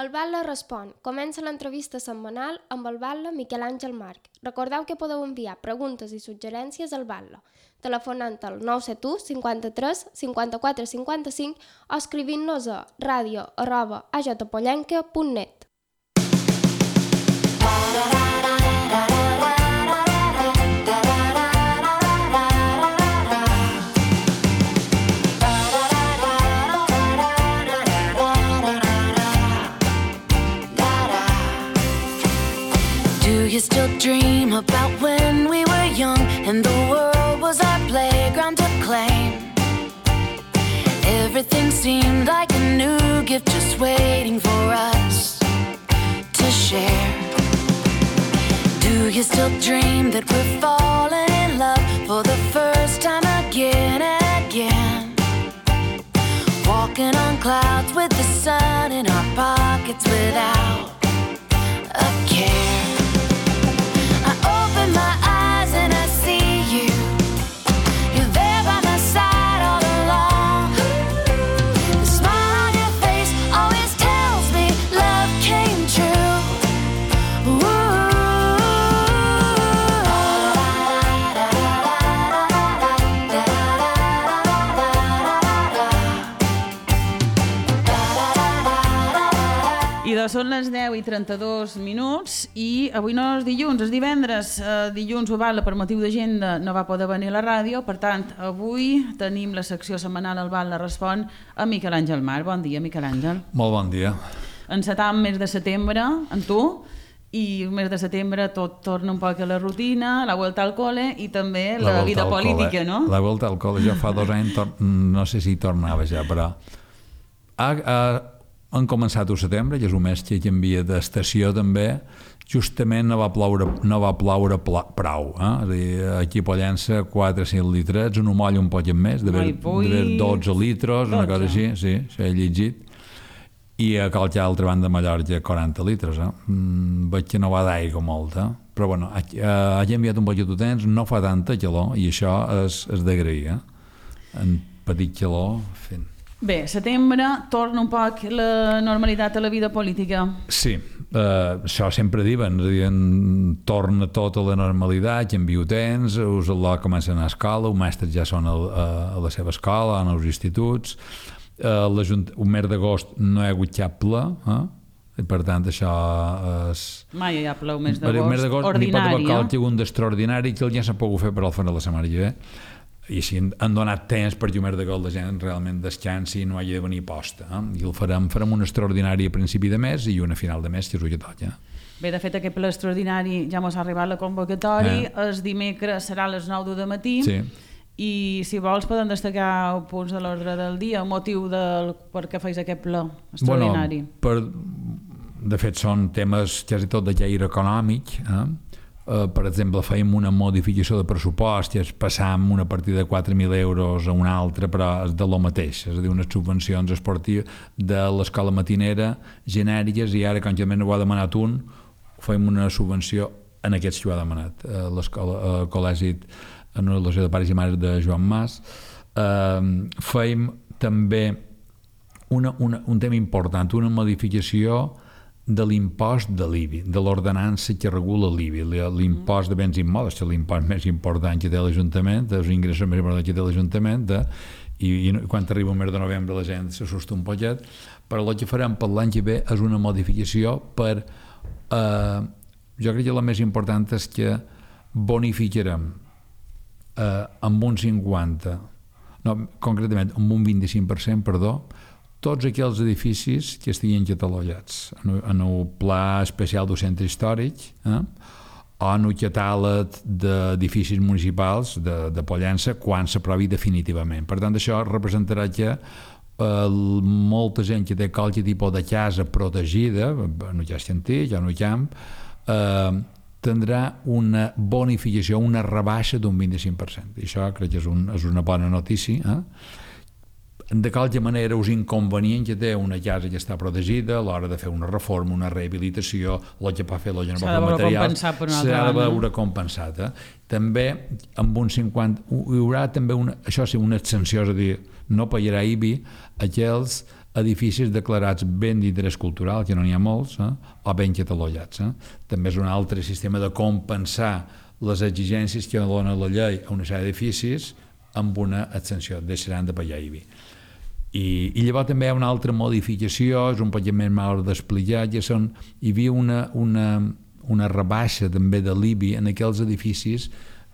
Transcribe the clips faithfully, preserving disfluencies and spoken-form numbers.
El Batlle respon. Comença l'entrevista setmanal amb el batlle Miquel Àngel March. Recordeu que podeu enviar preguntes i suggerències al batlle, telefonant al nou set u cinquanta-tres cinquanta-quatre cinquanta-cinc o escrivint-nos a radio arroba a j pollenca punt net. Do you still dream about when we were young and the world was our playground to claim? Everything seemed like a new gift just waiting for us to share. Do you still dream that we're falling in love for the first time again and again? Walking on clouds with the sun in our pockets without a care. Open my eyes and I see you. You're there by my side all along. The smile on your face always tells me love came true. Ooh. I doncs són les deu i trenta-dos minuts i avui no és dilluns, és divendres. Uh, dilluns, Batlle, per motiu d'agenda, no va poder venir a la ràdio, per tant, avui tenim la secció setmanal El Batlle respon a Miquel Àngel March. Bon dia, Miquel Àngel. Molt bon dia. Encetam mes de setembre, amb tu, i el mes de setembre tot torna un poc a la rutina, la vuelta al cole i també la, la vida política, no? La vuelta al cole, jo fa dos anys, no sé si tornava ja, però... Ha, ha, han començat el setembre, que és un mes que canvia d'estació també, justament no va ploure, no va ploure pla, prou. Eh? És a dir, aquí a Pollença quatre o cinc litres, un moll un poc més, d'haver dotze litres, una cosa així, sí, s'ha llegit. I a qualque altra banda de Mallorca quaranta litres. Eh? Mm, veig que no va d'aigua molta, però bueno, ha, ha canviat un poc de temps, no fa tanta calor i això és, és d'agrair. Eh? En petit calor, fent. Bé, setembre torna un poc la normalitat a la vida política. Sí, eh, això sempre diuen, diuen, torna tot a la normalitat, canvia temps, us la comencen a escola, els mestres ja són a, a, a la seva escola, en els instituts, eh, un mes d'agost no hi ha hagut cap ple, eh? I per tant això és... Mai hi ha ple un mes d'agost ordinari. N'hi pot haver qualque un d'extraordinari que ja s'ha pogut fer per al final de la setmana que ve. I així han donat temps perquè un mes d'agost la gent realment descansi i no hagi de venir posta. Eh? I el farem, farem un extraordinari a principi de mes i una final de mes, que és el que toca. Bé, de fet, aquest ple extraordinari ja mos ha arribat la convocatòria, eh. El dimecres serà a les nou de matí, sí. I si vols podem destacar els punts de l'ordre del dia, el motiu del per què feis aquest ple extraordinari. Bueno, per, de fet, són temes quasi tot de caire econòmic, eh? Uh, per exemple, fèiem una modificació de pressupost i es passam una partida de quatre mil euros a una altra, però és de lo mateix, és a dir, unes subvencions esportives de l'escola matinera genèriques, i ara, quan ja ho ha demanat un, fèiem una subvenció en aquests que ho ha demanat, uh, l'escola, uh, col·legi en una relació de pares i mares de Joan Mas. Uh, fèiem també una, una, un tema important, una modificació de l'impost de l'I B I, de l'ordenança que regula l'I B I, l'impost de béns immobles, que és l'impost més important que té l'Ajuntament, els ingressos més importants que té l'Ajuntament, de, i, i quan arriba el mes de novembre la gent s'assusta un poquet, però el que farem per l'any que ve és una modificació per... Eh, jo crec que la més important és que bonificarem eh, amb un cinquanta, no, concretament amb un vint-i-cinc per cent, perdó, tots aquells edificis que estiguin catalogats en el pla especial del centre històric, eh? O en el catàleg d'edificis municipals de, de Pollença quan s'aprovi definitivament. Per tant, això representarà que eh, molta gent que té qualque tipus de casa protegida, en el cas antic, en el camp, eh, tindrà una bonificació, una rebaixa d'un vint-i-cinc per cent. I això crec que és, un, és una bona notícia, eh? De qualque manera, els inconvenients que té una casa que està protegida a l'hora de fer una reforma, una rehabilitació, el que va fer, el que no va fer materials, s'ha de veure compensat. Eh? També, amb un cinquanta, hi haurà també una, això sí, una extensió, és a dir, no pagarà I B I aquells edificis declarats ben d'interès cultural, que no n'hi ha molts, eh? o ben catalogats. Eh? També és un altre sistema de compensar les exigències que dona la llei a una sèrie d'edificis amb una extensió, deixaran de pagar I B I. I, i llavors també hi ha una altra modificació, és un poc més mal d'explicar, que són, hi havia una, una, una rebaixa també de l'I B I en aquells edificis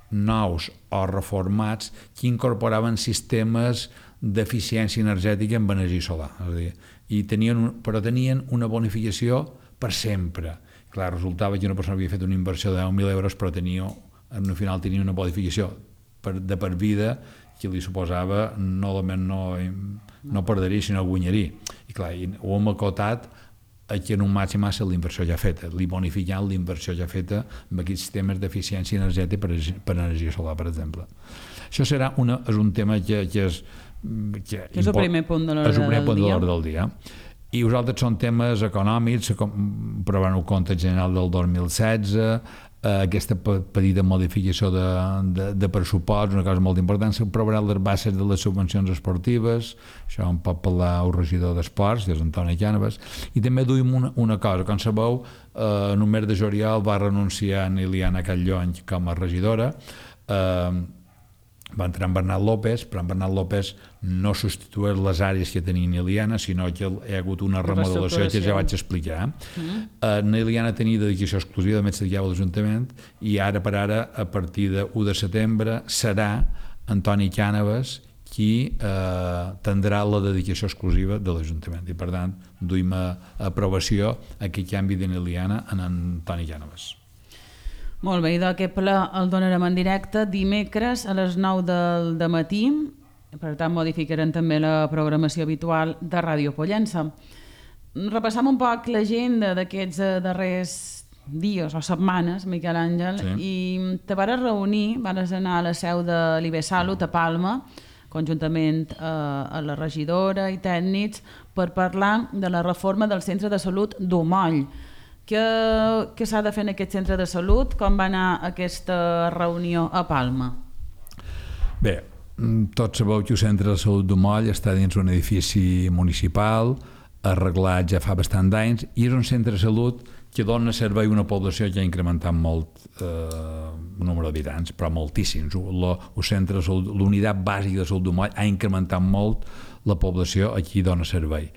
nous o reformats que incorporaven sistemes d'eficiència energètica amb energia solar. És a dir, i tenien, però tenien una bonificació per sempre. Clar, resultava que una persona havia fet una inversió de deu mil euros, però tenia, al final tenia una bonificació per, de per vida que li suposava no només no, no perderia, sinó guanyaria. I clar, i ho hem acotat que en un màxim ha estat l'inversió ja feta, li bonificant l'inversió ja feta amb aquests sistemes d'eficiència energètica per, per energia solar, per exemple. Això serà una, és un tema que, que és que és el primer punt de l'ordre és el primer del punt de dia. l'ordre del dia. I els altres són temes econòmics, aprovant el compte general del dos mil setze, eh, aquesta petita modificació de, de, de pressupost, una cosa molt important, s'aprovaran les bases de les subvencions esportives, això en pot parlar el regidor d'Esports, que és Antoni Cànovas, i també duim una, una cosa, com sabeu, eh, en un mes de juliol va renunciar a Iliana Catllony com a regidora, eh, va entrar en Bernat López, però en Bernat López no substitueix les àrees que tenia Iliana, sinó que hi ha hagut una remodelació que ja vaig explicar. Mm. Uh, Iliana tenia dedicació exclusiva, de més dedicava a l'Ajuntament, i ara per ara, a partir de u de setembre, serà Antoni Cànovas qui eh, tindrà la dedicació exclusiva de l'Ajuntament. I per tant, duim a aprovació aquest canvi d'Iliana en Antoni Cànovas. Molt bé, i d'aquest ple el donarem en directe dimecres a les nou del matí, per tant modificarem també la programació habitual de Ràdio Pollença. Repassam un poc l'agenda d'aquests darrers dies o setmanes, Miquel Àngel, sí. I te vas reunir, vas anar a la seu de l'I B Salut a Palma, conjuntament eh, a la regidora i tècnics, per parlar de la reforma del centre de salut d'Omoll. Què, què s'ha de fer en aquest centre de salut? Com va anar aquesta reunió a Palma? Bé, tots sabeu que el centre de salut d'Omoll està dins un edifici municipal, arreglat ja fa bastant d'anys, i és un centre de salut que dona servei a una població que ha incrementat molt eh, el número d'habitants, però moltíssims. El centre de salut, l'unitat bàsica de salut d'Omoll ha incrementat molt la població a qui dona servei.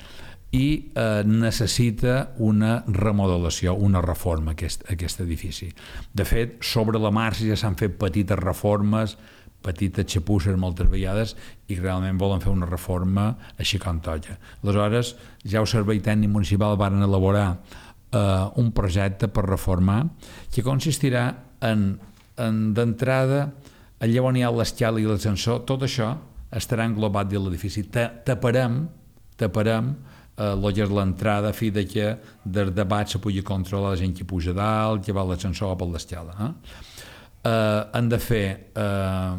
I eh, necessita una remodelació, una reforma aquest, aquest edifici. De fet, sobre la marxa ja s'han fet petites reformes, petites xapusses moltes vegades, i realment volen fer una reforma així com toca. Aleshores, ja el Servei Tècnic Municipal van elaborar eh, un projecte per reformar que consistirà en, en d'entrada, allà on hi ha l'escala i l'ascensor, tot això estarà englobat dins l'edifici. Taparem, taparem el que és l'entrada, a fi de que des de baix se pugui controlar la gent que puja dalt, que va a l'ascensor o per l'escala. Eh? Eh, han de fer eh,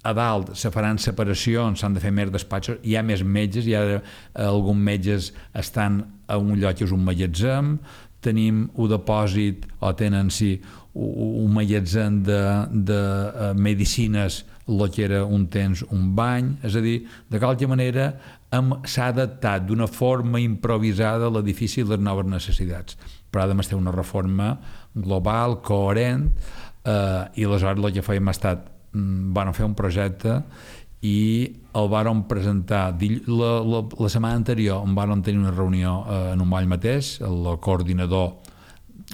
a dalt se faran separacions, s'han de fer més despatxos, hi ha més metges, hi ha eh, alguns metges estan a un lloc que és un magatzem, tenim un depòsit o tenen sí, un magatzem de, de uh, medicines, el que era un temps un bany, és a dir, de qualque manera s'ha adaptat d'una forma improvisada l'edifici a les noves necessitats, però ha de ser una reforma global, coherent, eh, i aleshores el que fèiem ha estat, van fer un projecte i el vàrem presentar la, la, la setmana anterior, en vàrem tenir una reunió eh, en Omoll mateix, el coordinador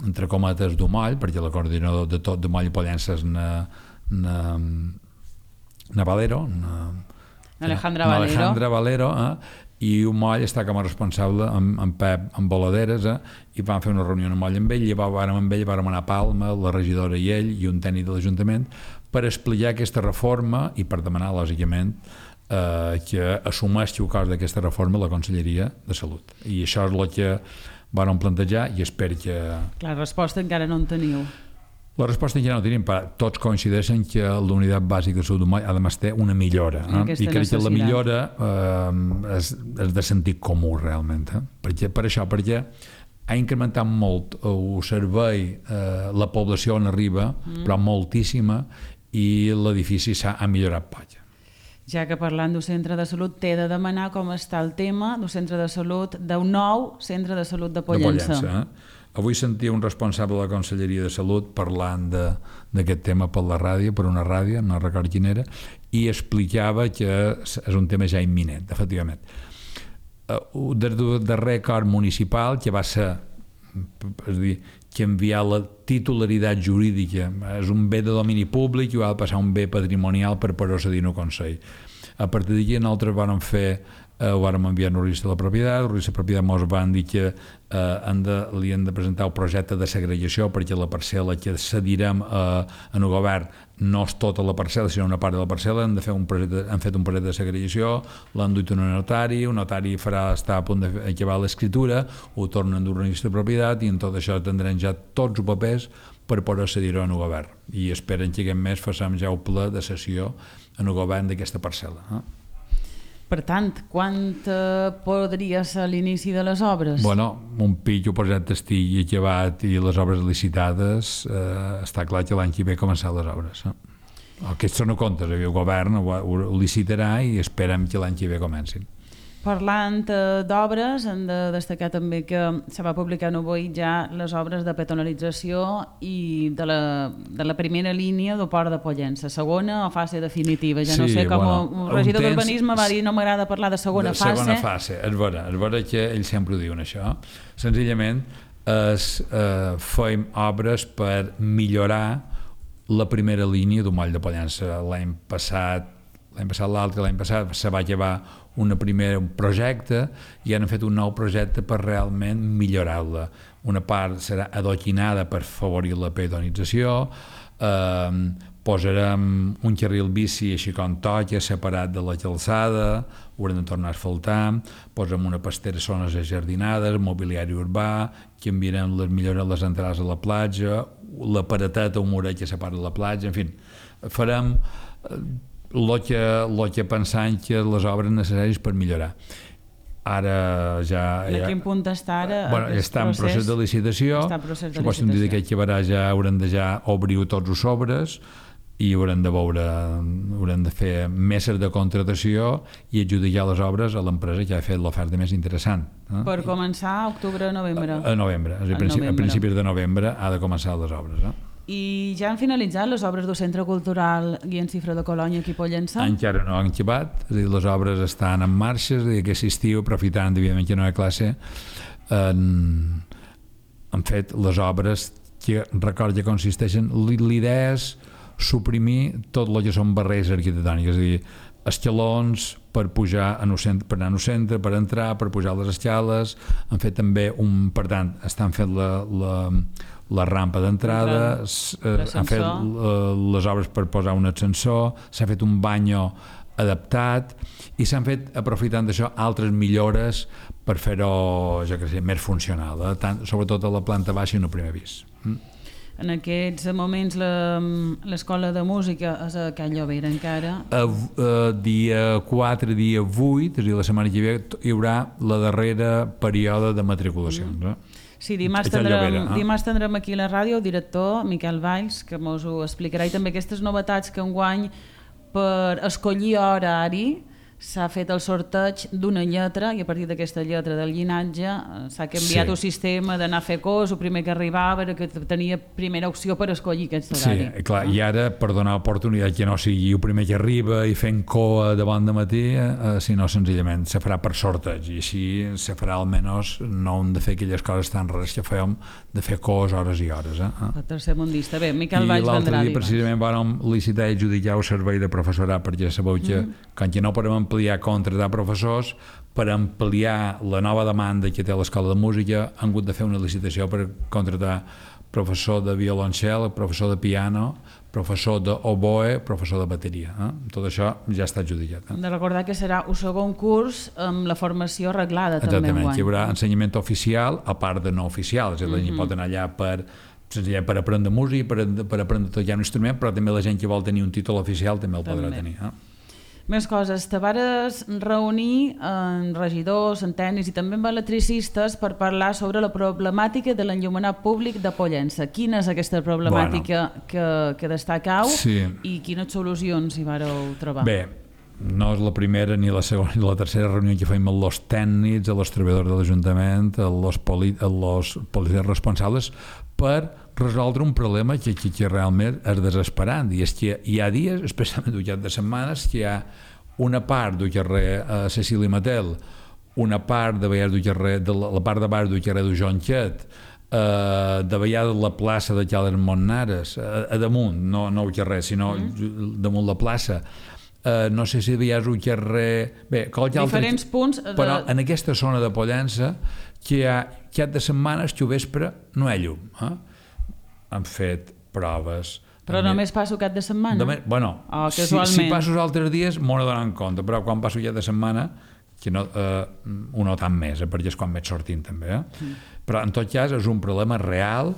entre cometes d'Omoll, perquè el coordinador de tot d'Omoll i Pollença és na, na, na Valero, na, Alejandra Valero, Alejandra Valero eh? I Omoll està com a responsable amb, amb Pep amb Voladeres, eh? I vam fer una reunió amb Omoll amb ell, i vàrem amb ell, vàrem anar a Palma, la regidora i ell i un tècnic de l'Ajuntament, per explicar aquesta reforma i per demanar, lògicament, eh, que assumeixi el cost d'aquesta reforma la Conselleria de Salut. I això és el que vàrem plantejar i espero que... La resposta encara no en teniu. La resposta encara no tenim, però tots coincideixen que la unitat bàsica de salut d'Omoll además té una millora. Eh? I crec necessitat. que la millora eh, és, és de sentit comú realment. Eh? Perquè, per això, perquè ha incrementat molt el servei, eh, la població on arriba, mm. però moltíssima, i l'edifici s'ha millorat poc. Ja que parlant d'un centre de salut, t'he de demanar com està el tema d'un centre de salut, d'un nou centre de salut de Pollença. De Pollença, eh? Avui sentia un responsable de la Conselleria de Salut parlant d'aquest tema per la ràdio, per una ràdio, no record quina era, i explicava que és un tema ja imminent, efectivament. Des del darrer acord municipal, que va ser, és a dir, que enviar la titularitat jurídica, és un bé de domini públic i ha de passar un bé patrimonial per procedir-ho Consell. A partir d'aquí nosaltres vam fer Eh, ho vam enviar al registre de la propietat, el registre de la propietat ens van dir que eh, han de, li han de presentar el projecte de segregació perquè la parcel·la que cedirem eh, en el govern no és tota la parcel·la, sinó una part de la parcel·la, han, de fer un projecte, han fet un projecte de segregació, l'han duit a un notari, un notari farà, està a punt d'acabar l'escriptura, ho tornen a dur al registre de propietat i en tot això tindrem ja tots els papers per poder cedir-ho en el govern. I esperen que aquest mes façam ja el ple de sessió en el govern d'aquesta parcel·la. Eh? Per tant, quan eh, podria ser l'inici de les obres? Bueno, un pillo projecte estigui acabat i les obres licitades, eh, està clar que l'any que ve començar les obres. Eh? Aquests són comptes, el govern ho, ho licitarà i esperem que l'any que ve comencin. Parlant eh, d'obres, hem de destacar també que se va publicar avui ja les obres de peatonalització i de la, de la primera línia del port de Pollença, segona o fase definitiva. Ja sí, no sé com bueno, el regidor temps, d'urbanisme va dir no m'agrada parlar de segona de fase. Segona fase, és vera, és vera que ells sempre ho diuen això. Senzillament es, eh, fem obres per millorar la primera línia del moll de Pollença. L'any passat, l'any passat l'altre, l'any passat se va llevar una primera, un projecte i han fet un nou projecte per realment millorar-la. Una part serà adoquinada per favorir la peatonització, eh, posarem un carril bici així com toca, separat de la calçada, haurem de tornar a asfaltar, posarem una pastera a zones ajardinades, mobiliari urbà, canviarem les millores les entrades a la platja, la pareteta o muret que separa la platja, en fi, farem el que, lo que pensant que les obres necessàries per millorar. Ara ja... En ja, quin punt està ara? Bueno, està en procés de licitació. Està en procés de licitació. Dir que acabarà ja, haurem de ja obrir tots els sobres i haurem de veure, haurem de fer meses de contratació i adjudicar les obres a l'empresa que ha fet l'oferta més interessant. Eh? Per començar a octubre-novembre? A, a novembre, a, principi, novembre. A principis de novembre ha de començar les obres. Eh? I ja han finalitzat les obres del Centre Cultural Guillem Cifra de Colònia aquí a Pollença? Encara no han acabat, és a dir, les obres estan en marxa, és a dir, aquest estiu, aprofitant, evidentment, que no hi ha classe, han, han fet les obres que, record, que consisteixen, l'idea és suprimir tot el que són barreres arquitectòniques, és a dir, escalons per pujar en el centre, per anar al centre, per entrar, per pujar les escales, han fet també un, per tant, estan fent la, la, la rampa d'entrada, eh, han fet uh, les obres per posar un ascensor, s'ha fet un banyo adaptat i s'han fet, aprofitant d'això, altres millores per fer-ho, ja que sé, més funcional, eh? Tant, sobretot a la planta baixa i en el primer pis. Mm? En aquests moments l'escola de música és a Can Llobera encara? A, a dia quatre, dia vuit, és a dir, la setmana que ve, hi haurà la darrera període de matriculacions. Mm. Eh? Sí, dimarts tindrem, Llobera, eh? dimarts tindrem aquí a la ràdio el director Miquel Valls, que ens ho explicarà, i també aquestes novetats que enguany per escollir horari s'ha fet el sorteig d'una lletra i a partir d'aquesta lletra del llinatge s'ha canviat sí. el sistema d'anar a fer cos, el primer que arribava era que tenia primera opció per escollir aquest horari. Sí, clar, i ara per donar oportunitat que no sigui el primer que arriba i fent coa de bon de matí, eh, sinó senzillament se farà per sorteig i així se farà almenys no hem de fer aquelles coses tan rares que fèiem de fer cos hores i hores. Eh? El tercer mundista. Bé, Miquel Valls vendrà. I l'altre dia precisament vam licitar i adjudicar el servei de professorat perquè sabeu que mm. quan que no podem ampliar contratar professors, per ampliar la nova demanda que té l'escola de música han hagut de fer una licitació per contratar professor de violoncel, professor de piano, professor d'oboe, professor de bateria. Eh? Tot això ja està adjudicat. Eh? De recordar que serà un segon curs amb la formació arreglada. Exactament, també hi haurà ensenyament oficial a part de no oficial, és a dir, la gent mm-hmm. pot anar allà per senzillament per aprendre música, per, per aprendre tot ja un instrument, però també la gent que vol tenir un títol oficial també el també. podrà tenir. Eh? Més coses, te vares reunir amb regidors, amb tècnics i també amb electricistes per parlar sobre la problemàtica de l'enllumenat públic de Pollença. Quina és aquesta problemàtica bueno, que, que destacau sí. i quines solucions hi vareu trobar? Bé, no és la primera ni la segona ni la tercera reunió que fem amb els tècnics, amb els treballadors de l'Ajuntament, amb els poli, policies responsables, per resoldre un problema que, que, que realment és desesperant. I és que hi ha dies, especialment al llarg de setmanes, que hi ha una part del carrer a Cecília Matel, una part de Vallès del carrer, de la, la part de baix del carrer de Jonquet, Uh, de vegades la plaça de Cales Montnares, a, a damunt, no, no al carrer, sinó mm. damunt la plaça. Uh, no sé si hi ha un carrer... Bé, diferents altre... punts... De... Però en aquesta zona de Pollença, que hi ha cap de setmanes que al vespre no hi ha llum. Eh? Han fet proves... Però també... només passo cap de setmana? Només, bueno, oh, si, si passo els altres dies m'ho donen compte, però quan passo cap de setmana que no, eh, ho noten més, eh, perquè és quan vaig sortint també. Eh? Mm. Però en tot cas és un problema real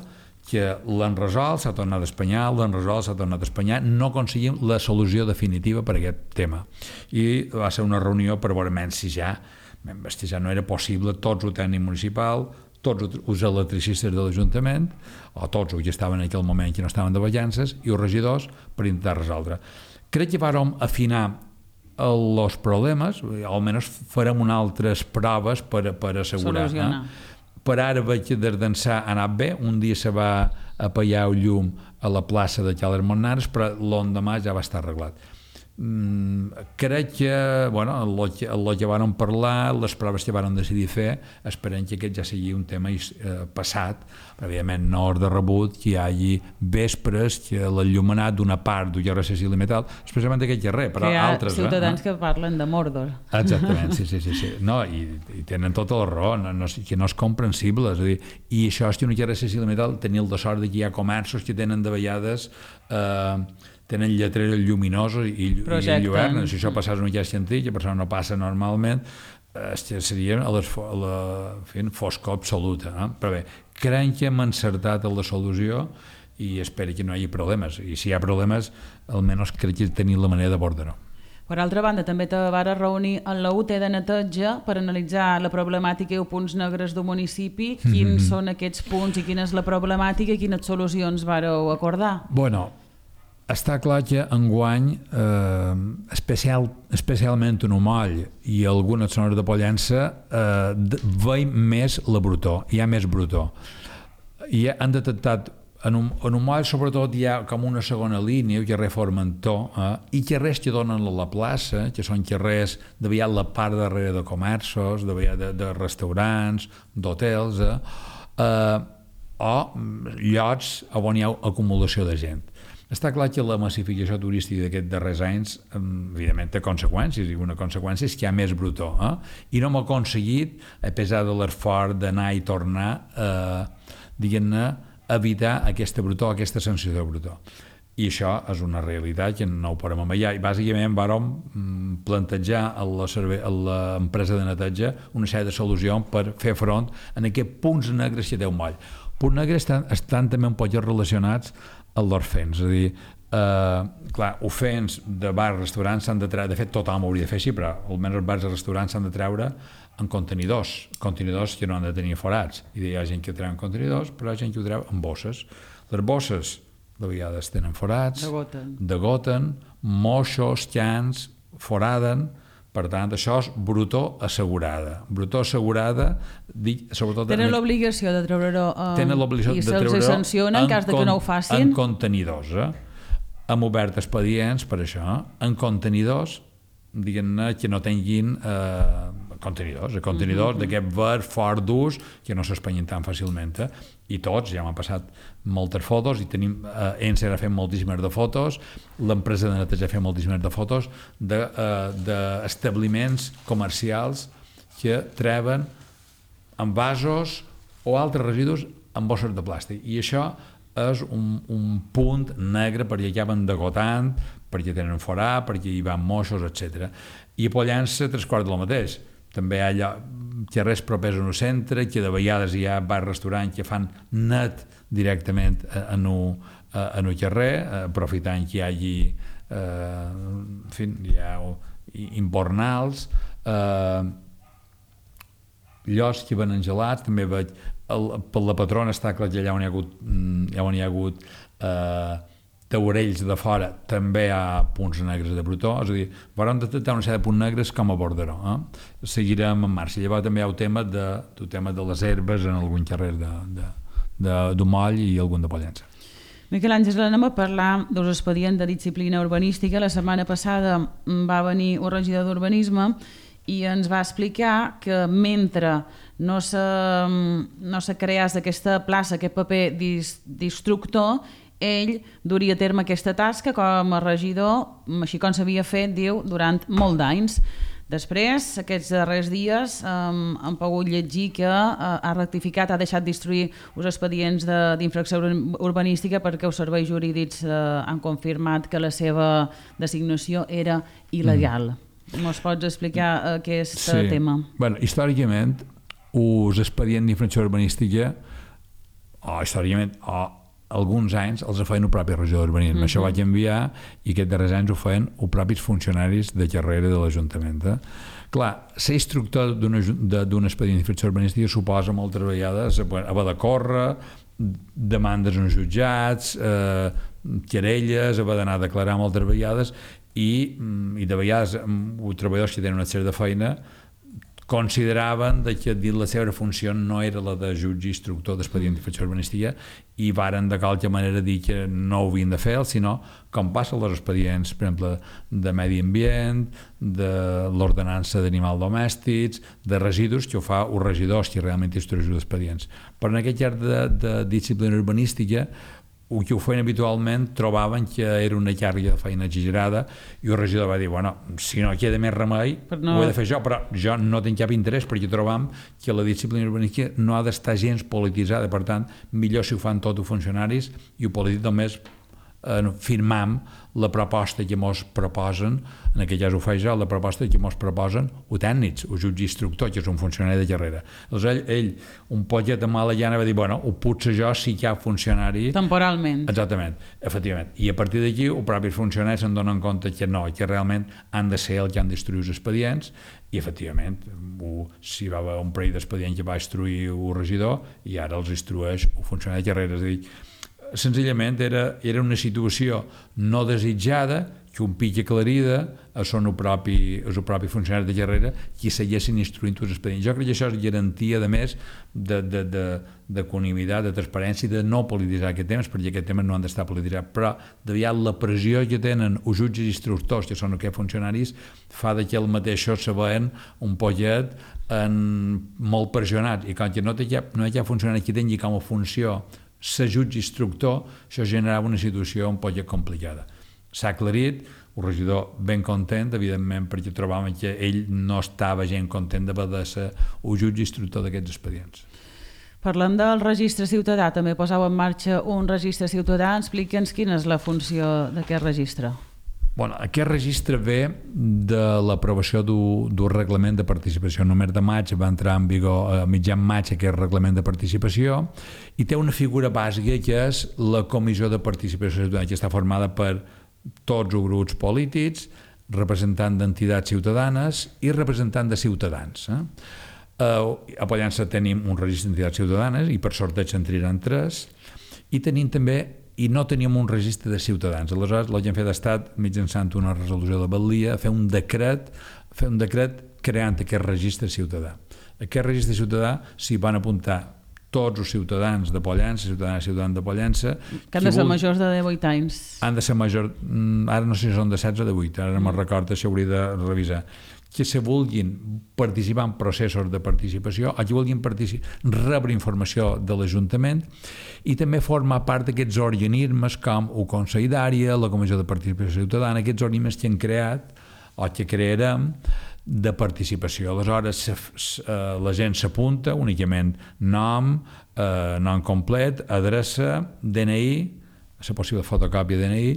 que l'han resolt, s'ha tornat a espanyar, l'han resolt, s'ha tornat a espanyar, no aconseguim la solució definitiva per a aquest tema. I va ser una reunió per veure si ja, si ja no era possible tots el tècnic municipal, tots els electricistes de l'Ajuntament, o tots els que estaven en aquell moment que no estaven de vacances, i els regidors per intentar resoldre. Crec que vàrem afinar els problemes, almenys farem unes altres proves per, per assegurar. Eh? Per ara veig que des d'ençà ha anat bé, un dia se va apagar el llum a la plaça de Cales Montnares, però l'endemà ja va estar arreglat. Mm, crec que, bueno, el que, el que van parlar, les proves que van decidir fer, esperem que aquest ja sigui un tema eh, passat, però evidentment no és de rebut que hi hagi vespres que l'enllumenat d'una part del carrer Cecília Metal, especialment d'aquest carrer, però que hi ha altres... ciutadans eh? que parlen de Mordor. Exactament, sí, sí, sí. sí. No, i, i tenen tota la raó, no, no, que no és comprensible, és a dir, i això és que un carrer Cecília Metal tenia el de sort que hi ha comerços que tenen de vegades... Eh, tenen lletreres lluminosos i, i lluernes. Si això passés en un llaç científic, que per això no passa normalment, eh, seria a les, a la fin, foscor absoluta. No? Però bé, crec que hem encertat en la solució i espero que no hi hagi problemes. I si hi ha problemes, almenys crec que tenim la manera d'abordar-ho. Per altra banda, també te vas reunir en la U T de neteja per analitzar la problemàtica i els punts negres del municipi. Quins mm-hmm. són aquests punts i quina és la problemàtica i quines solucions vareu acordar? Bueno, està clar que enguany, eh, especial, especialment en Umoll i algunes zones de Pollença, eh, veiem més la brutor, hi ha més brutor. I han detectat, en, un, en Umoll sobretot hi ha com una segona línia, el carrer Formentor, eh, i carrers que donen a la plaça, que són carrers de vegades la part darrere de comerços, de vegades de, de restaurants, d'hotels, eh, eh, o llocs on hi ha acumulació de gent. Està clar que la massificació turística d'aquests darrers anys, evidentment, té conseqüències, i una conseqüència és que hi ha més brutor. Eh? I no hem aconseguit, a pesar de l'esforç d'anar i tornar, eh, diguem-ne, evitar aquesta brutor, aquesta sensació de brutor. I això és una realitat que no ho podem amagar. I bàsicament vàrem plantejar a l'empresa de neteja una sèrie de solucions per fer front a aquests punts negres que té un moll. Punts negres estan, estan també un poc relacionats amb l'orfens, és a dir, eh, clar, ofens de bars, restaurants s'han de treure, de fet tothom ho hauria de fer així, però almenys els bars i restaurants s'han de treure en contenidors, contenidors que no han de tenir forats, i hi ha gent que ho treu en contenidors, però hi ha gent que ho treu en bosses. Les bosses de vegades tenen forats, degoten, degoten moixos, cans, foraden. Per tant, això és brutor assegurada. Brutor assegurada, dic, sobretot... Tenen l'obligació de treure-ho uh, i se'ls sanciona en cas de que no ho facin? En contenidors, eh? Hem obert expedients per això, en contenidors, diguem-ne, que no tinguin eh, contenidors, contenidors mm-hmm. d'aquest ver fort d'ús que no s'espanyin tan fàcilment. Eh? I tots, ja m'han passat moltes fotos i tenim, eh, ENSE ha fet moltíssimes de fotos, l'empresa de neteja ha fet moltíssimes de fotos d'establiments de, eh, comercials que treuen envasos o altres residus en bosses de plàstic. I això és un, un punt negre perquè acaben degotant, perquè tenen forà, perquè hi van moixos, etcètera. I a Pollença, tres quarts del mateix. També hi ha allò, carrers propers al centre, que de vegades hi ha bars-restaurants que fan net directament en el carrer, aprofitant que hi hagi eh, en fi, hi ha imbornals, eh, llocs que venen gelats, també veig el, per la patrona està clar que allà on hi ha hagut, allà on hi ha hagut eh, taurells de fora també hi ha punts negres de protó, és a dir, vam detectar una sèrie de punts negres com a borderó. Eh? Seguirem en marxa. Llavors també hi ha el tema de, el tema de les herbes en algun carrer d'Omoll i algun de Pollença. Miquel Àngel, anem a parlar dels expedients de disciplina urbanística. La setmana passada va venir un regidor d'urbanisme i ens va explicar que mentre no se, no se creés aquesta plaça, aquest paper d'instructor, ell duria a terme aquesta tasca com a regidor, així com s'havia fet, diu, durant molt d'anys. Després, aquests darrers dies, um, hem pogut llegir que uh, ha rectificat, ha deixat d'instruir els expedients d'infracció urbanística perquè els serveis jurídics uh, han confirmat que la seva designació era il·legal. Mm. Mos pots explicar aquest sí. tema? Bueno, històricament, els expedients d'infracció urbanística, o històricament, o alguns anys els feien el propi regidor d'urbanisme. Mm-hmm. Això vaig enviar i aquests darrers anys ho feien els propis funcionaris de carrera de l'Ajuntament. Eh? Clar, ser instructor d'un expedient d'infracció urbanística suposa moltes vegades haver de córrer, demandes en jutjats, eh, querelles, haver d'anar a declarar moltes vegades i, i de vegades els treballadors que tenen una sèrie de feina consideraven que la seva funció no era la de jutge instructor d'expedient d'infracció urbanística i varen de qualque manera dir que no ho havien de fer, sinó com passa els expedients, per exemple, de medi ambient, de l'ordenança d'animals domèstics, de residus, que ho fa els regidors que realment instrueixen els expedients. Però en aquest llarg de, de disciplina urbanística el que ho feien habitualment trobaven que era una càrrega de feina exagerada i el regidor va dir, bueno, si no queda més remei no... ho he de fer jo, però jo no tinc cap interès perquè trobam que la disciplina urbanística no ha d'estar gens polititzada, per tant, millor si ho fan tots els funcionaris i ho polític només eh, firmam la proposta que mos proposen, en aquest cas ho faig jo, la proposta que mos proposen els tècnics, el jutge instructor, que és un funcionari de carrera. Llavors ell, ell un poquet de mala llana va dir, bueno, ho puc ser jo si hi ha funcionari... Temporalment. Exactament, efectivament. I a partir d'aquí, els propis funcionaris se'n donen compte que no, que realment han de ser els que han d'instruir els expedients i, efectivament, si va haver un parell d'expedients que va instruir el regidor i ara els instrueix el funcionari de carrera. És a dir, senzillament era, era una situació no desitjada que un pic aclarida són el propi, el propi funcionari de carrera qui seguessin instruint els expedients. Jo crec que això és garantia, a més, de, de, de, de conimitat, de transparència i de no polititzar aquests temes, perquè aquests temes no han d'estar polititzats, però de vegades la pressió que tenen els jutges i instructors, que són aquests funcionaris, fa que el mateixos se veuen un poquet en, molt pressionats, i quan no, té cap, no hi ha cap funcionari que tingui com a funció ser jutge instructor, això generava una situació un poc complicada. S'ha aclarit, el regidor ben content, evidentment, perquè trobàvem que ell no estava gent content d'haver de ser el jutge instructor d'aquests expedients. Parlant del registre ciutadà, també posau en marxa un registre ciutadà. Explica'ns quina és la funció d'aquest registre. Bueno, aquest registre ve de l'aprovació d'un reglament de participació. El mes de maig va entrar en vigor, a mitjan maig, aquest reglament de participació, i té una figura bàsica que és la Comissió de Participació Ciutadana, que està formada per tots els grups polítics, representant d'entitats ciutadanes i representant de ciutadans. Eh? Uh, a Pollença tenim un registre d'entitats ciutadanes i per sorteig en triaran tres, i tenim també i no teníem un registre de ciutadans. Aleshores, el que hem fet ha estat, mitjançant una resolució de Batllia, fer un decret, fer un decret creant aquest registre ciutadà. Aquest registre ciutadà s'hi van apuntar tots els ciutadans de Pollença, ciutadans i ciutadans de Pollença... Que han de ser majors de divuit anys. Han de ser majors... Ara no sé si són de setze o de vuit, ara no me'n recordo, això hauria de revisar. Que se vulguin participar en processos de participació o que vulguin rebre informació de l'Ajuntament i també formar part d'aquests organismes com el Consell d'Àrea, la Comissió de Participació Ciutadana, aquests organismes que han creat o que crearem de participació. Aleshores, la gent s'apunta únicament nom, eh, nom complet, adreça, D N I, la possible fotocòpia de D N I,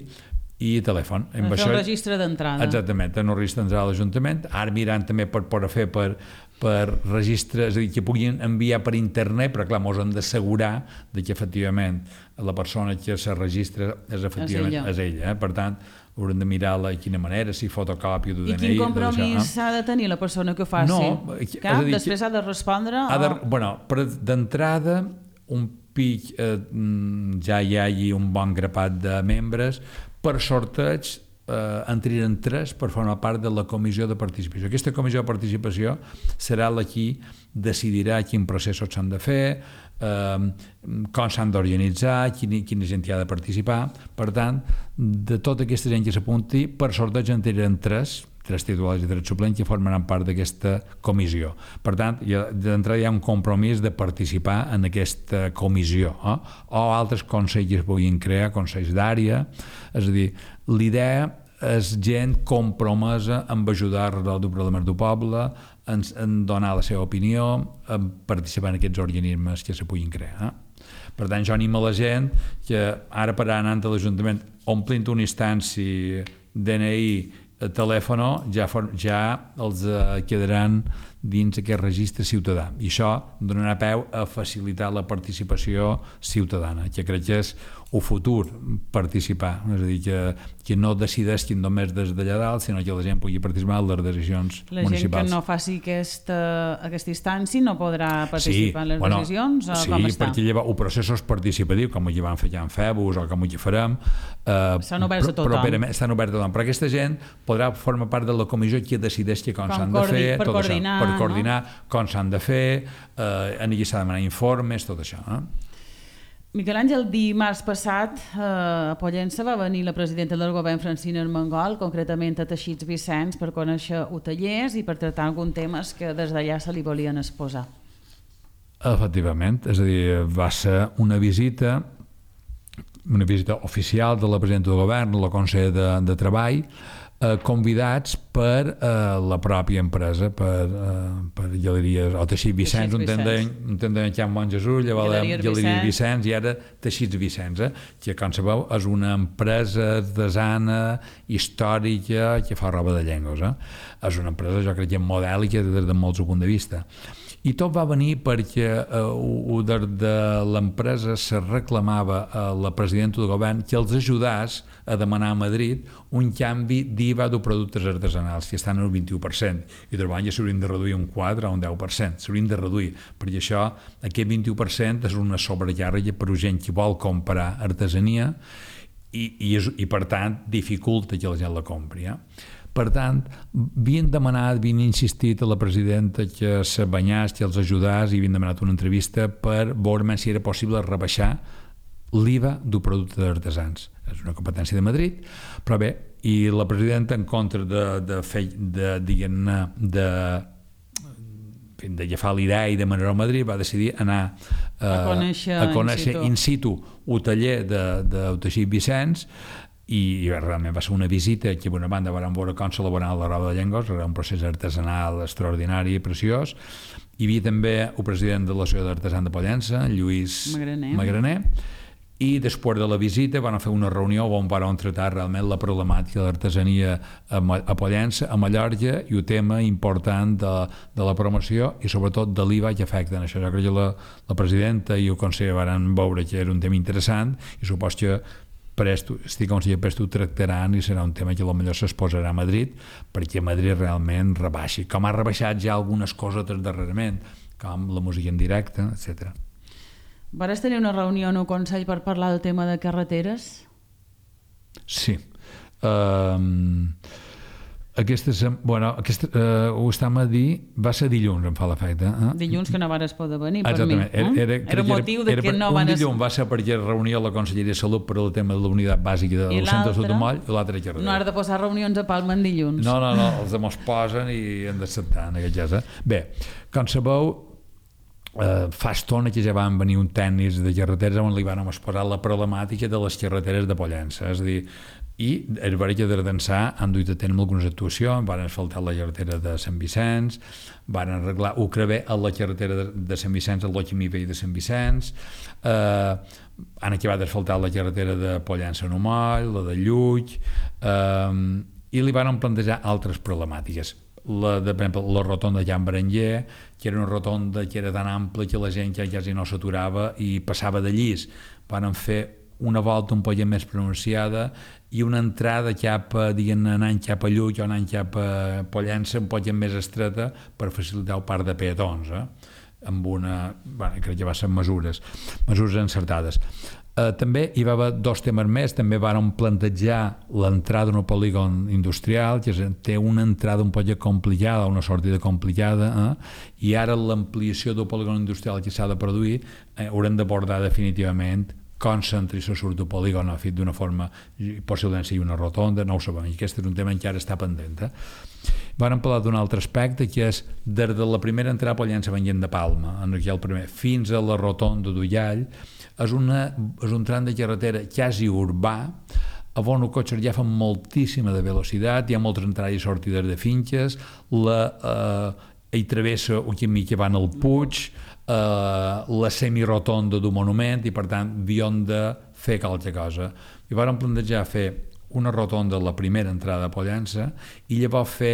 i telèfon. Per fer un registre d'entrada. Exactament, en un registre d'entrada a l'Ajuntament. Ara mirant també per poder fer per, per registres, és a dir, que puguin enviar per internet, però clar, ens hem d'assegurar que efectivament la persona que se registra és efectivament és ella. És ella eh? Per tant, haurem de mirar de quina manera, si fotocòpia d'U D N I... I quin compromís ha de tenir la persona que ho faci? No, Cap, dir, després ha de respondre? Ha de, o... bueno, d'entrada, un pic eh, ja hi hagi un bon grapat de membres, per sorteig eh, en triaran tres per formar part de la comissió de participació. Aquesta comissió de participació serà la qui decidirà quin processos s'han de fer, eh, com s'han d'organitzar, quina, quina gent hi ha de participar. Per tant, de tota aquesta gent que s'apunti, per sorteig en triaran tres, tres titulars i tres suplents que formaran part d'aquesta comissió. Per tant, d'entrada hi ha un compromís de participar en aquesta comissió, eh? O altres consells que es puguin crear, consells d'àrea. És a dir, l'idea és gent compromesa en ajudar a resoldre problemes del poble, en, en donar la seva opinió, en participar en aquests organismes que se puguin crear. Eh? Per tant, jo animo la gent que ara per anar anant a l'Ajuntament omplint una instància D N I, telèfon, ja, ja els eh, quedaran dins aquest registre ciutadà, i això donarà peu a facilitar la participació ciutadana, que crec que és el futur, participar, és a dir, que, que no decideixin només des d'allà dalt, sinó que la gent pugui participar en les decisions la municipals. La gent que no faci aquesta, aquesta instància no podrà participar sí, en les bueno, decisions? O sí, com està? Perquè lleva el procés és participatiu, com hi van fer ja en Febus o com hi farem. Eh, estan oberts a tothom. Però, estan oberts a tothom, però aquesta gent podrà formar part de la comissió que decideix com, com s'han de fer, per tot coordinar, això, per coordinar no? Com s'han de fer, eh, en allà s'ha de demanar informes, tot això. Eh? Miquel Àngel, dimarts passat eh, a Pollença va venir la presidenta del govern, Francina Armengol, concretament a Teixits Vicenç, per conèixer hotellers i per tractar alguns temes que des d'allà se li volien exposar. Efectivament, és a dir, va ser una visita una visita oficial de la presidenta del govern, la Consell de, de Treball, eh, convidats per eh, la pròpia empresa, per, eh, per Galeries, o Teixits Vicenç, un tendent que hi ha Bon Jesús, llavors Galeries Vicenç i ara Teixits Vicenç, eh, que com sabeu és una empresa artesana històrica que fa roba de llengües. Eh? És una empresa, jo crec que modèlica des de molts punts de vista. I tot va venir perquè eh, de, de l'empresa se reclamava a la presidenta del govern que els ajudés a demanar a Madrid un canvi d'I V A de productes artesanals, que estan al vint-i-u per cent, i treball ja s'haurien de reduir un quatre o un deu per cent, s'haurien de reduir, perquè això, aquest vint-i-u per cent és una sobrecàrrega per a gent que vol comprar artesania i, i, és, i per tant dificulta que la gent la compri. Eh? Per tant, havien demanat, havien insistit a la presidenta que se banyàs, que els ajudàs, i havien demanat una entrevista per veure si era possible rebaixar l'I V A del producte d'artesans. És una competència de Madrid, però bé, i la presidenta, en contra de, de fer, de, diguem-ne, de, de agafar l'idea i de manera a Madrid, va decidir anar eh, a conèixer, a conèixer in situ, in situ el taller de, de Teixits Vicenç, i realment va ser una visita que per una banda vam veure com s'elaborava la roba de llengües, era un procés artesanal extraordinari i preciós. Hi havia també el president de l'Associació d'Artesans de Pollença, Lluís Magraner, Magraner, i després de la visita van fer una reunió on van tractar realment la problemàtica de l'artesania a Pollença, a Mallorca, i el tema important de, de la promoció i sobretot de l'I V A que afecten això. Jo crec que la, la presidenta i el conseller van veure que era un tema interessant i supos que presto, estic com si presto ho tractaran i serà un tema que potser s'exposarà a Madrid perquè Madrid realment rebaixi, com ha rebaixat ja algunes coses darrerament, com la música en directe, etcètera. Vares tenir una reunió en un consell per parlar del tema de carreteres? Sí. Um, aquesta, bueno, aquesta, uh, ho estàvem a dir, va ser dilluns, em fa l'efecte. Eh? Dilluns que no vares poder venir per exactament. mi. Eh? Era, era, era motiu de que no van... Un dilluns va ser perquè reunia la Conselleria de Salut per al tema de la unitat bàsica del centre de Salut de Moll, i l'altre carretera. No has de posar reunions a Palma en dilluns. No, no, no, els demons posen i hem d'acceptar en aquest cas. Eh? Bé, com sabeu, eh, fa estona que ja van venir un tècnic de carreteres on li van exposar la problemàtica de les carreteres de Pollença, és a dir, i el barri que d'Ardansà han duit a tenir algunes actuacions, van asfaltar la carretera de Sant Vicenç, van arreglar el crever a la carretera de, de Sant Vicenç, el Loquimí Vell de Sant Vicenç, eh, han acabat d'asfaltar la carretera de Pollença a Moll, la de Llull, eh, i li van plantejar altres problemàtiques. La, de, per exemple, la rotonda de Can Berenguer, que era una rotonda que era tan ampla que la gent ja quasi no s'aturava i passava de llis. Van fer una volta un poc més pronunciada i una entrada cap a, diguem, anant cap a Llull o anant cap a Pollença un poc més estreta per facilitar el parc de peatons. Eh? amb una... Bueno, crec que va ser mesures, mesures encertades. Uh, també hi va haver dos temes més, també varen plantejar l'entrada d'un polígon industrial, que té una entrada un poc complicada, una sortida complicada, eh? I ara l'ampliació del polígon industrial que s'ha de produir eh, haurem d'abordar definitivament com s'entra i se surt del polígon, ha fet d'una forma, possiblement sigui una rotonda, no ho sabem, i aquest és un tema que ara està pendent. Eh? Vam parlar d'un altre aspecte, que és des de la primera entrada a Pollença Venient de Palma, en el primer, fins a la rotonda d'Ullall, és, una, és un tram de carretera quasi urbà, on els cotxes ja fan moltíssima de velocitat, hi ha moltes entrades i sortides de finques, la, eh, hi travessa un camí que va al Puig, eh, la semirotonda d'un monument, i per tant havíem de fer qualque cosa. I vam plantejar fer una rotonda a la primera entrada a Pollença i llavors fer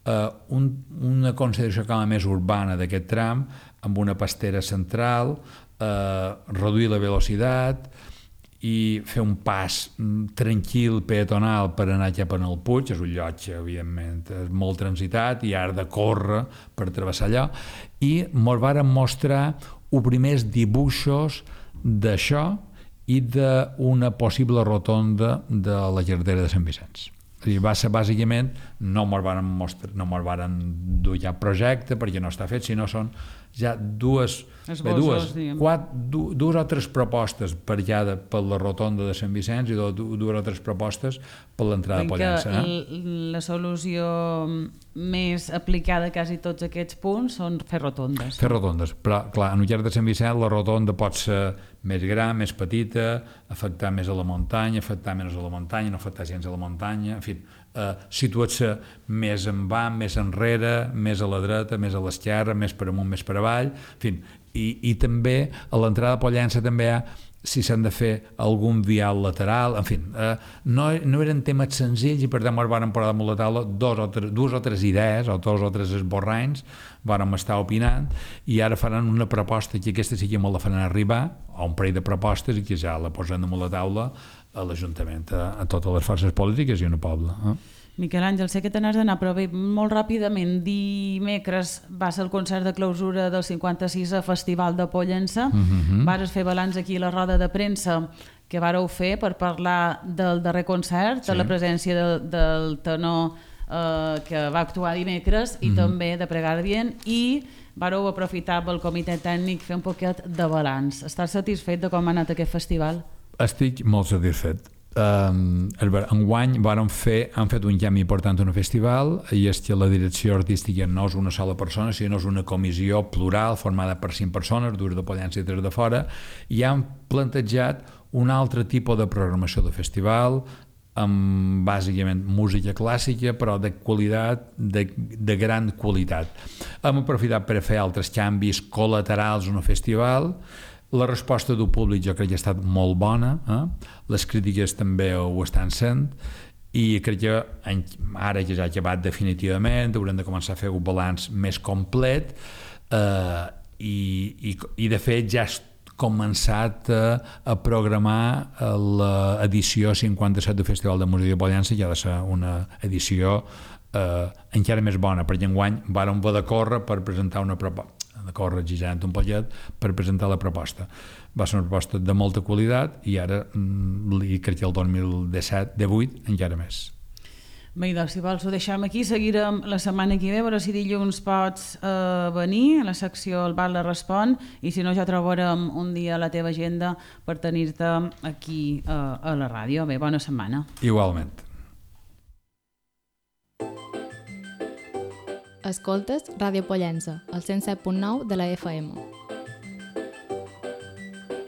eh, un, una consideració com a més urbana d'aquest tram, amb una pastera central, eh, reduir la velocitat i fer un pas tranquil, peatonal, per anar cap en el Puig. És un lloc que, evidentment, és molt transitat i has de córrer per travessar allò, i ens varen mostrar els primers dibuixos d'això i d'una possible rotonda de la carretera de Sant Vicenç. Va ser bàsicament, no ens varen mostrar, no ens varen dur ja projecte perquè no està fet, sinó són ja dues, bé, dues, quatre, du, dues o tres propostes per ja de, per la rotonda de Sant Vicenç i dues, dues o tres propostes per l'entrada de Pollença. Eh? La solució més aplicada a quasi tots aquests punts són fer rotondes. Fer rotondes, però clar, en el llarg de Sant Vicenç la rotonda pot ser més gran, més petita, afectar més a la muntanya, afectar menys a la muntanya, no afectar gens a la muntanya, en fi, eh, situar-se més en avant, més enrere, més a la dreta, més a l'esquerra, més per amunt, més per avall, en fi, i, i també a l'entrada de Pollença també hi ha, si s'han de fer algun vial lateral, en fi, eh, no, no eren temes senzills i per tant ens vàrem posar damunt la taula dos o tres, dues o tres idees o dos o tres esborranys, vàrem estar opinant i ara faran una proposta que aquesta sí que me la faran arribar, o un parell de propostes, i que ja la posen damunt la taula a l'Ajuntament, a, a totes les forces polítiques i en el poble. Eh? Miquel Àngel, sé que te n'has d'anar, però bé, molt ràpidament, dimecres va ser el concert de clausura del cinquanta-sisè Festival de Pollença. Uh-huh. Vas fer balanç aquí a la roda de premsa que vareu fer per parlar del darrer concert, sí, de la presència de, del tenor eh, que va actuar dimecres i uh-huh. també de Pregardien, i vareu aprofitar pel comitè tècnic fer un poquet de balanç. Estàs satisfet de com ha anat aquest festival? Estic molt satisfet. Um, enguany vàrem fer, han fet un canvi important en el festival, i és que la direcció artística no és una sola persona, sinó és una comissió plural formada per cinc persones, dues de Pollença i tres de fora, i han plantejat un altre tipus de programació del festival, amb bàsicament música clàssica, però de qualitat, de, de gran qualitat. Hem aprofitat per fer altres canvis col·laterals en el festival. La resposta del públic jo crec que ha estat molt bona, eh? Les crítiques també ho estan sent, i crec que ara que ja ha acabat definitivament haurem de començar a fer un balanç més complet, eh, i, i, i de fet ja has començat a, a programar l'edició cinquanta-set del Festival de Música de Pollença, que ha de ser una edició eh, encara més bona, perquè enguany vàrem haver de córrer per presentar una proposta, de córrer exigent un pollet per presentar la proposta. Va ser una proposta de molta qualitat i ara li crec que el dos mil disset, divuit, encara més. Bé, doncs, si vols ho deixem aquí, seguirem la setmana que ve, a veure si dilluns pots eh, venir a la secció El Val la Respon, i si no ja trobarem un dia a la teva agenda per tenir-te aquí eh, a la ràdio. Bé, bona setmana. Igualment. Escoltes Ràdio Pollença, al cent set punt nou de la F M.